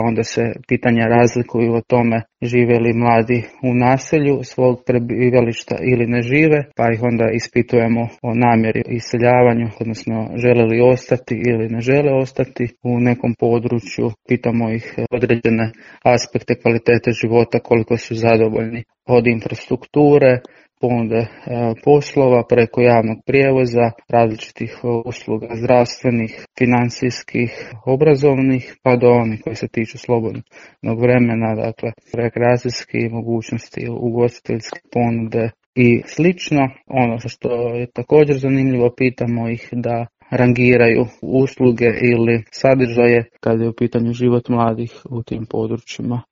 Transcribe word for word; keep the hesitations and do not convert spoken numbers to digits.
onda se pitanja razlikuju o tome žive li mladi u naselju svog prebivališta ili ne žive, pa ih onda ispitujemo o namjeri iseljavanju, odnosno žele li ostati ili ne žele ostati u nekom području, pitamo ih određene aspekte kvalitete života, koliko su zadovoljni od infrastrukture, ponude poslova preko javnog prijevoza, različitih usluga zdravstvenih, financijskih, obrazovnih, pa do onih koji se tiču slobodnog vremena, dakle rekreacijske mogućnosti, ugostiteljske ponude i slično. Ono što je također zanimljivo, pitamo ih da rangiraju usluge ili sadržaje kad je u pitanju život mladih u tim područjima.